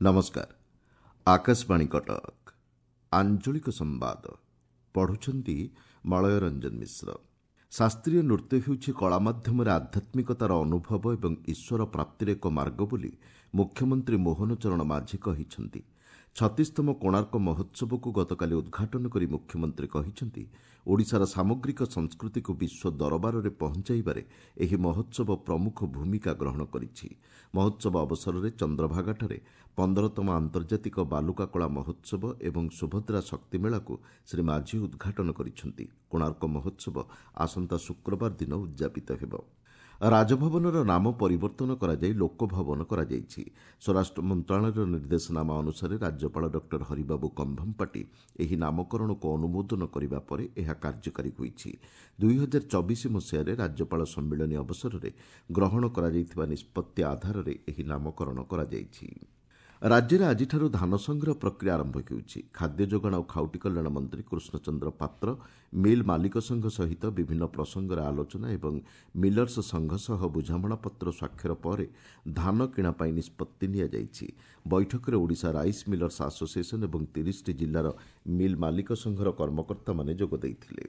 ନମସ୍କାର, ଆକାଶବାଣୀ କଟକ। ଆଞ୍ଚଳିକ ସମ୍ବାଦ ପଢ଼ୁଛନ୍ତି ମଳୟ ରଞ୍ଜନ ମିଶ୍ର। ଶାସ୍ତ୍ରୀୟ ନୃତ୍ୟ ହେଉଛି କଳା ମାଧ୍ୟମରେ ଆଧ୍ୟାତ୍ମିକତାର ଅନୁଭବ ଏବଂ ଈଶ୍ୱର ପ୍ରାପ୍ତିର ଏକ ମାର୍ଗ ବୋଲି ମୁଖ୍ୟମନ୍ତ୍ରୀ ମୋହନ ଚରଣ ମାଝୀ କହିଛନ୍ତି। 36ତମ କୋଣାର୍କ ମହୋତ୍ସବକୁ ଗତକାଲି ଉଦ୍ଘାଟନ କରି ମୁଖ୍ୟମନ୍ତ୍ରୀ କହିଛନ୍ତି, ଓଡ଼ିଶାର ସାମଗ୍ରିକ ସଂସ୍କୃତିକୁ ବିଶ୍ୱ ଦରବାରରେ ପହଞ୍ଚାଇବାରେ ଏହି ମହୋତ୍ସବ ପ୍ରମୁଖ ଭୂମିକା ଗ୍ରହଣ କରିଛି। ମହୋତ୍ସବ ଅବସରରେ ଚନ୍ଦ୍ରଭାଗାଠାରେ 15ତମ ଆନ୍ତର୍ଜାତିକ ବାଲୁକା କଳା ମହୋତ୍ସବ ଏବଂ ସୁଭଦ୍ରା ଶକ୍ତି ମେଳାକୁ ଶ୍ରୀ ମାଝୀ ଉଦ୍ଘାଟନ କରିଛନ୍ତି। କୋଣାର୍କ ମହୋତ୍ସବ ଆସନ୍ତା ଶୁକ୍ରବାର ଦିନ ଉଦ୍ଯାପିତ ହେବ। ରାଜଭବନର ନାମ ପରିବର୍ତ୍ତନ କରାଯାଇ ଲୋକଭବନ କରାଯାଇଛି। ସ୍ୱରାଷ୍ଟ୍ର ମନ୍ତ୍ରଣାଳୟର ନିର୍ଦ୍ଦେଶନାମା ଅନୁସାରେ ରାଜ୍ୟପାଳ ଡକ୍ଟର ହରିବାବୁ କମ୍ଭମପାଟି ଏହି ନାମକରଣକୁ ଅନୁମୋଦନ କରିବା ପରେ ଏହା କାର୍ଯ୍ୟକାରୀ ହୋଇଛି। 2024 ମସିହାରେ ରାଜ୍ୟପାଳ ସମ୍ମିଳନୀ ଅବସରରେ ଗ୍ରହଣ କରାଯାଇଥିବା ନିଷ୍ପତ୍ତି ଆଧାରରେ ଏହି ନାମକରଣ କରାଯାଇଛି। ରାଜ୍ୟରେ ଆଜିଠାରୁ ଧାନ ସଂଗ୍ରହ ପ୍ରକ୍ରିୟା ଆରମ୍ଭ ହେଉଛି। ଖାଦ୍ୟ ଯୋଗାଣ ଓ ଖାଉଟି କଲ୍ୟାଣ ମନ୍ତ୍ରୀ କୃଷ୍ଣଚନ୍ଦ୍ର ପାତ୍ର ମିଲ୍ ମାଲିକ ସଂଘ ସହିତ ବିଭିନ୍ନ ପ୍ରସଙ୍ଗରେ ଆଲୋଚନା ଏବଂ ମିଲର୍ସ ସଂଘ ସହ ବୁଝାମଣାପତ୍ର ସ୍ୱାକ୍ଷର ପରେ ଧାନ କିଣା ପାଇଁ ନିଷ୍ପତ୍ତି ନିଆଯାଇଛି। ବୈଠକରେ ଓଡ଼ିଶା ରାଇସ୍ ମିଲର୍ସ ଆସୋସିଏସନ୍ ଏବଂ 30ଟି ଜିଲ୍ଲାର ମିଲ୍ ମାଲିକ ସଂଘର କର୍ମକର୍ତ୍ତାମାନେ ଯୋଗ ଦେଇଥିଲେ।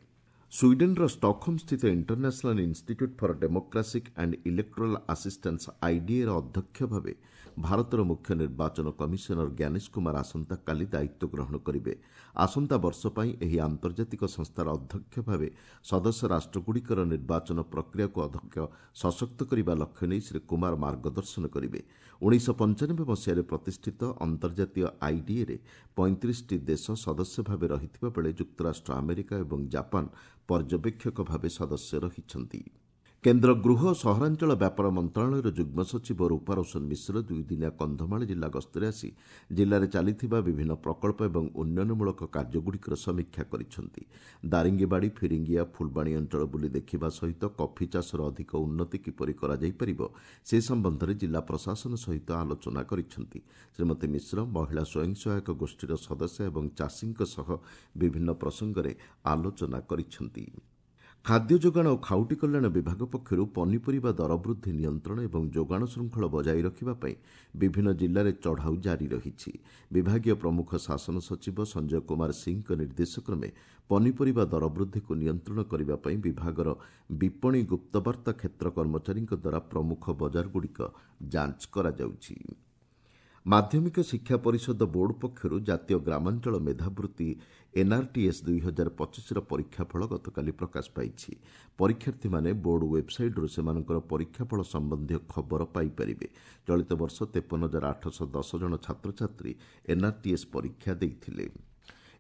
ସ୍ୱିଡେନ୍ର ଷ୍ଟକହୋମ୍ସ୍ଥିତ International Institute for Democratic and Electoral Assistance ଆଇଡିଏର ଅଧ୍ୟକ୍ଷ ଭାବେ ଭାରତର ମୁଖ୍ୟ ନିର୍ବାଚନ କମିଶନର ଜ୍ଞାନେଶ କୁମାର ଆସନ୍ତାକାଲି ଦାୟିତ୍ୱ ଗ୍ରହଣ କରିବେ। ଆସନ୍ତା ବର୍ଷ ପାଇଁ ଏହି ଆନ୍ତର୍ଜାତିକ ସଂସ୍ଥାର ଅଧ୍ୟକ୍ଷ ଭାବେ ସଦସ୍ୟ ରାଷ୍ଟ୍ରଗୁଡ଼ିକର ନିର୍ବାଚନ ପ୍ରକ୍ରିୟାକୁ ଅଧିକ ସଶକ୍ତ କରିବା ଲକ୍ଷ୍ୟ ନେଇ ଶ୍ରୀ କୁମାର ମାର୍ଗଦର୍ଶନ କରିବେ। 1995 ମସିହାରେ ପ୍ରତିଷ୍ଠିତ ଅନ୍ତର୍ଜାତୀୟ ଆଇଡିଏରେ 35ଟି ଦେଶ ସଦସ୍ୟ ଭାବେ ରହିଥିବା ବେଳେ ଯୁକ୍ତରାଷ୍ଟ୍ର ଆମେରିକା ଏବଂ ଜାପାନ ପର୍ଯ୍ୟବେକ୍ଷକ ଭାବେ ସଦସ୍ୟ ରହିଛନ୍ତି। କେନ୍ଦ୍ର ଗୃହ ଓ ସହରାଞ୍ଚଳ ବ୍ୟାପାର ମନ୍ତ୍ରଣାଳୟର ଯୁଗ୍ମ ସଚିବ ରୂପା ରୋଶନ ମିଶ୍ର ଦୁଇଦିନିଆ କନ୍ଧମାଳ ଜିଲ୍ଲା ଗସ୍ତରେ ଆସି ଜିଲ୍ଲାରେ ଚାଲିଥିବା ବିଭିନ୍ନ ପ୍ରକଳ୍ପ ଏବଂ ଉନ୍ନୟନମୂଳକ କାର୍ଯ୍ୟଗୁଡ଼ିକର ସମୀକ୍ଷା କରିଛନ୍ତି। ଦାରିଙ୍ଗିବାଡ଼ି, ଫିରିଙ୍ଗିଆ, ଫୁଲବାଣୀ ଅଞ୍ଚଳ ବୁଲି ଦେଖିବା ସହିତ କଫି ଚାଷର ଅଧିକ ଉନ୍ନତି କିପରି କରାଯାଇପାରିବ ସେ ସମ୍ବନ୍ଧରେ ଜିଲ୍ଲା ପ୍ରଶାସନ ସହିତ ଆଲୋଚନା କରିଛନ୍ତି। ଶ୍ରୀମତୀ ମିଶ୍ର ମହିଳା ସ୍ୱୟଂ ସହାୟକ ଗୋଷ୍ଠୀର ସଦସ୍ୟ ଏବଂ ଚାଷୀଙ୍କ ସହ ବିଭିନ୍ନ ପ୍ରସଙ୍ଗରେ ଆଲୋଚନା କରିଛନ୍ତି। ଖାଦ୍ୟ ଯୋଗାଣ ଓ ଖାଉଟି କଲ୍ୟାଣ ବିଭାଗ ପକ୍ଷରୁ ପନିପରିବା ଦରବୃଦ୍ଧି ନିୟନ୍ତ୍ରଣ ଏବଂ ଯୋଗାଣ ଶୃଙ୍ଖଳ ବଜାୟ ରଖିବା ପାଇଁ ବିଭିନ୍ନ ଜିଲ୍ଲାରେ ଚଢ଼ାଉ ଜାରି ରହିଛି। ବିଭାଗୀୟ ପ୍ରମୁଖ ଶାସନ ସଚିବ ସଞ୍ଜୟ କୁମାର ସିଂଙ୍କ ନିର୍ଦ୍ଦେଶକ୍ରମେ ପନିପରିବା ଦରବୃଦ୍ଧିକୁ ନିୟନ୍ତ୍ରଣ କରିବା ପାଇଁ ବିଭାଗର ବିପଣୀ ଗୁପ୍ତବାର୍ତ୍ତା କ୍ଷେତ୍ର କର୍ମଚାରୀଙ୍କ ଦ୍ୱାରା ପ୍ରମୁଖ ବଜାରଗୁଡ଼ିକ ଯାଞ୍ଚ କରାଯାଉଛି। ମାଧ୍ୟମିକ ଶିକ୍ଷା ପରିଷଦ ବୋର୍ଡ ପକ୍ଷରୁ ଜାତୀୟ ଗ୍ରାମାଞ୍ଚଳ ମେଧାବୃତ୍ତି ଏନ୍ଆର୍ଟିଏସ୍ 2025ର ପରୀକ୍ଷାଫଳ ଗତକାଲି ପ୍ରକାଶ ପାଇଛି। ପରୀକ୍ଷାର୍ଥୀମାନେ ବୋର୍ଡ ୱେବ୍ସାଇଟ୍ରୁ ସେମାନଙ୍କର ପରୀକ୍ଷାଫଳ ସମ୍ବନ୍ଧୀୟ ଖବର ପାଇପାରିବେ। ଚଳିତ ବର୍ଷ 53,810 ଜଣ ଛାତ୍ରଛାତ୍ରୀ ଏନ୍ଆର୍ଟିଏସ୍ ପରୀକ୍ଷା ଦେଇଥିଲେ।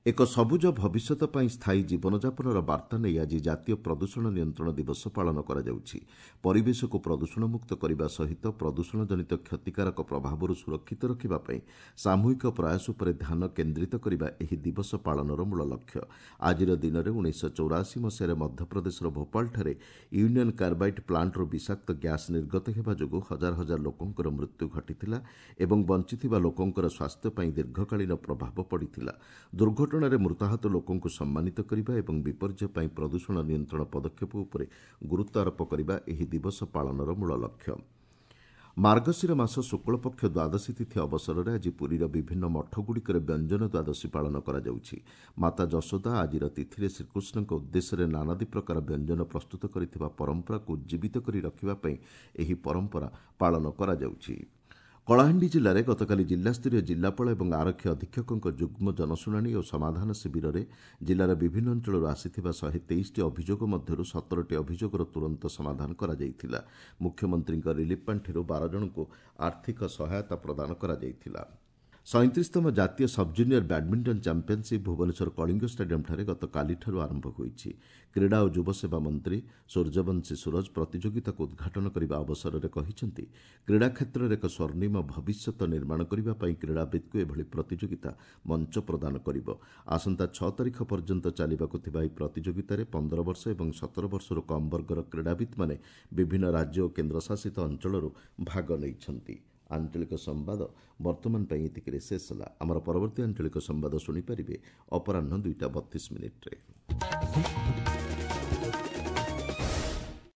ଏକ ସବୁଜ ଭବିଷ୍ୟତ ପାଇଁ ସ୍ଥାୟୀ ଜୀବନଯାପନର ବାର୍ତ୍ତା ନେଇ ଆଜି ଜାତୀୟ ପ୍ରଦୂଷଣ ନିୟନ୍ତ୍ରଣ ଦିବସ ପାଳନ କରାଯାଉଛି। ପରିବେଶକୁ ପ୍ରଦୂଷଣମୁକ୍ତ କରିବା ସହିତ ପ୍ରଦୂଷଣଜନିତ କ୍ଷତିକାରକ ପ୍ରଭାବରୁ ସୁରକ୍ଷିତ ରଖିବା ପାଇଁ ସାମୂହିକ ପ୍ରୟାସ ଉପରେ ଧ୍ୟାନ କେନ୍ଦ୍ରିତ କରିବା ଏହି ଦିବସ ପାଳନର ମୂଳ ଲକ୍ଷ୍ୟ। ଆଜିର ଦିନରେ 1984 ମସିହାରେ ମଧ୍ୟପ୍ରଦେଶର ଭୋପାଳଠାରେ ୟୁନିୟନ୍ କାର୍ବାଇଡ୍ ପ୍ଲାଣ୍ଟରୁ ବିଷାକ୍ତ ଗ୍ୟାସ୍ ନିର୍ଗତ ହେବା ଯୋଗୁଁ ହଜାର ହଜାର ଲୋକଙ୍କର ମୃତ୍ୟୁ ଘଟିଥିଲା ଏବଂ ବଞ୍ଚିଥିବା ଲୋକଙ୍କର ସ୍ୱାସ୍ଥ୍ୟ ପାଇଁ ଦୀର୍ଘକାଳୀନ ପ୍ରଭାବ ପଡ଼ିଥିଲା। ଦୁର୍ଘଟଣାରେ ମୃତାହତ ଲୋକଙ୍କୁ ସମ୍ମାନିତ କରିବା ଏବଂ ବିପର୍ଯ୍ୟୟ ପାଇଁ ପ୍ରଦୂଷଣ ନିୟନ୍ତ୍ରଣ ପଦକ୍ଷେପ ଉପରେ ଗୁରୁତ୍ୱ ଆରୋପ କରିବା ଏହି ଦିବସ ପାଳନର ମୂଳ ଲକ୍ଷ୍ୟ। ମାର୍ଗଶିର ମାସ ଶୁକ୍ଳପକ୍ଷ ଦ୍ୱାଦଶୀ ତିଥି ଅବସରରେ ଆଜି ପୁରୀର ବିଭିନ୍ନ ମଠଗୁଡ଼ିକରେ ବ୍ୟଞ୍ଜନ ଦ୍ୱାଦଶୀ ପାଳନ କରାଯାଉଛି। ମାତା ଯଶୋଦା ଆଜିର ତିଥିରେ ଶ୍ରୀକୃଷ୍ଣଙ୍କ ଉଦ୍ଦେଶ୍ୟରେ ନାନାଦି ପ୍ରକାର ବ୍ୟଞ୍ଜନ ପ୍ରସ୍ତୁତ କରିଥିବା ପରମ୍ପରାକୁ ଉଜ୍ଜୀବିତ କରି ରଖିବା ପାଇଁ ଏହି ପରମ୍ପରା ପାଳନ କରାଯାଉଛି। କଳାହାଣ୍ଡି ଜିଲ୍ଲାରେ ଗତକାଲି ଜିଲ୍ଲାସ୍ତରୀୟ ଜିଲ୍ଲାପାଳ ଏବଂ ଆରକ୍ଷୀ ଅଧୀକ୍ଷକଙ୍କ ଯୁଗ୍ମ ଜନଶୁଣାଣି ଓ ସମାଧାନ ଶିବିରରେ ଜିଲ୍ଲାର ବିଭିନ୍ନ ଅଞ୍ଚଳରୁ ଆସିଥିବା 123ଟି ଅଭିଯୋଗ ମଧ୍ୟରୁ 17ଟି ଅଭିଯୋଗର ତୁରନ୍ତ ସମାଧାନ କରାଯାଇଥିଲା। ମୁଖ୍ୟମନ୍ତ୍ରୀଙ୍କ ରିଲିଫ୍ ପାଣ୍ଠିରୁ 12 ଜଣଙ୍କୁ ଆର୍ଥିକ ସହାୟତା ପ୍ରଦାନ କରାଯାଇଥିଲା। 37ତମ ଜାତୀୟ sub-junior badminton championship Bhubaneswar Kalinga ଷ୍ଟାଡିୟମ୍ଠାରେ ଗତକାଲିଠାରୁ ଆରମ୍ଭ ହୋଇଛି। କ୍ରୀଡ଼ା ଓ ଯୁବସେବା ମନ୍ତ୍ରୀ ସୂର୍ଯ୍ୟବଂଶୀ ସୂରଜ ପ୍ରତିଯୋଗିତାକୁ ଉଦ୍ଘାଟନ କରିବା ଅବସରରେ କହିଛନ୍ତି, କ୍ରୀଡ଼ା କ୍ଷେତ୍ରରେ ଏକ ସ୍ୱର୍ଣ୍ଣିମ ଭବିଷ୍ୟତ ନିର୍ମାଣ କରିବା ପାଇଁ କ୍ରୀଡ଼ାବିତ୍କୁ ଏଭଳି ପ୍ରତିଯୋଗିତା ମଞ୍ଚ ପ୍ରଦାନ କରିବ। ଆସନ୍ତା 6 ତାରିଖ ପର୍ଯ୍ୟନ୍ତ ଚାଲିବାକୁ ଥିବା ଏହି ପ୍ରତିଯୋଗିତାରେ 15 ବର୍ଷ ଏବଂ 17 ବର୍ଷରୁ କମ୍ ବର୍ଗର କ୍ରୀଡ଼ାବିତ୍ମାନେ ବିଭିନ୍ନ ରାଜ୍ୟ ଓ କେନ୍ଦ୍ରଶାସିତ ଅଞ୍ଚଳରୁ ଭାଗ ନେଇଛନ୍ତି। ଆଞ୍ଚଳିକ ସମ୍ବାଦ ବର୍ତ୍ତମାନ ପାଇଁ ଏତିକିରେ ଶେଷ ହେଲା। ଆମର ପରବର୍ତ୍ତୀ ଆଞ୍ଚଳିକ ସମ୍ବାଦ ଶୁଣିପାରିବେ ଅପରାହ୍ନ 2ଟା 32 ମିନିଟ୍ରେ।